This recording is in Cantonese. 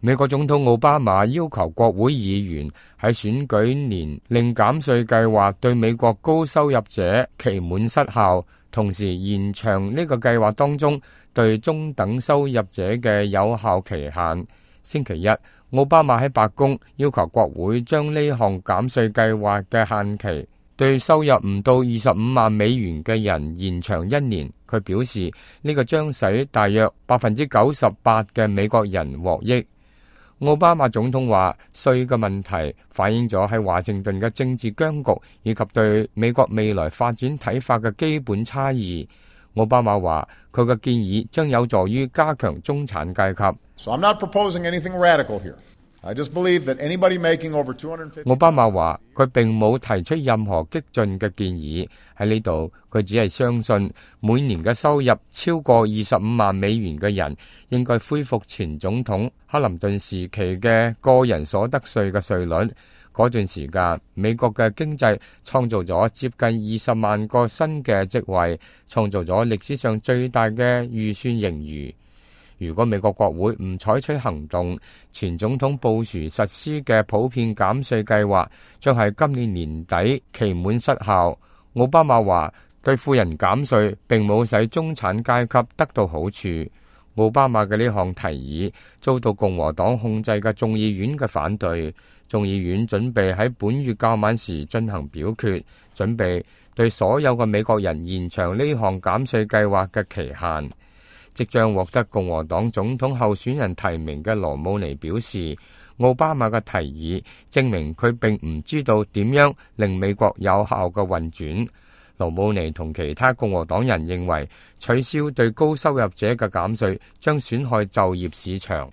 美國總統奧巴馬要求國會議員喺選舉年令減稅計劃對美國高收入者期滿失效，同時延長呢個計劃當中對中等收入者嘅有效期限。星期一，奧巴馬喺白宮要求國會將呢項減稅計劃嘅限期對收入唔到25萬美元嘅人延長1年。佢表示呢個將使大約98%嘅美國人獲益。奧巴馬總統話，稅嘅問題反映咗喺華盛頓嘅政治僵局以及對美國未來發展睇法嘅基本差異。奧巴馬話，佢嘅建議將有助於加強中產階級。So I'm not proposing anything radical here. I just believe that anybody making over $250,000. 奧巴馬話，佢並冇提出任何激進嘅建議。喺呢度，佢只係相信每年嘅收入超過25萬美元嘅人應該恢復前總統克林頓時期嘅個人所得稅嘅稅率。嗰段時間，美國嘅經濟創造咗接近20萬個新嘅職位，創造咗歷史上最大嘅預算盈餘。如果美國國會唔採取行動，前總統布殊實施嘅普遍減稅計劃將喺今年年底期滿失效。奧巴馬話，對富人減稅並冇使中產階級得到好處。奧巴馬嘅呢項提議遭到共和黨控制嘅眾議院嘅反對。眾議院準備喺本月較晚時進行表決，準備對所有嘅美國人延長呢項減稅計劃嘅期限。即將獲得共和黨總統候選人提名嘅羅姆尼表示，奧巴馬嘅提議證明佢並唔知道點樣令美國有效嘅運轉。羅姆尼同其他共和黨人認為，取消對高收入者嘅減稅將損害就業市場。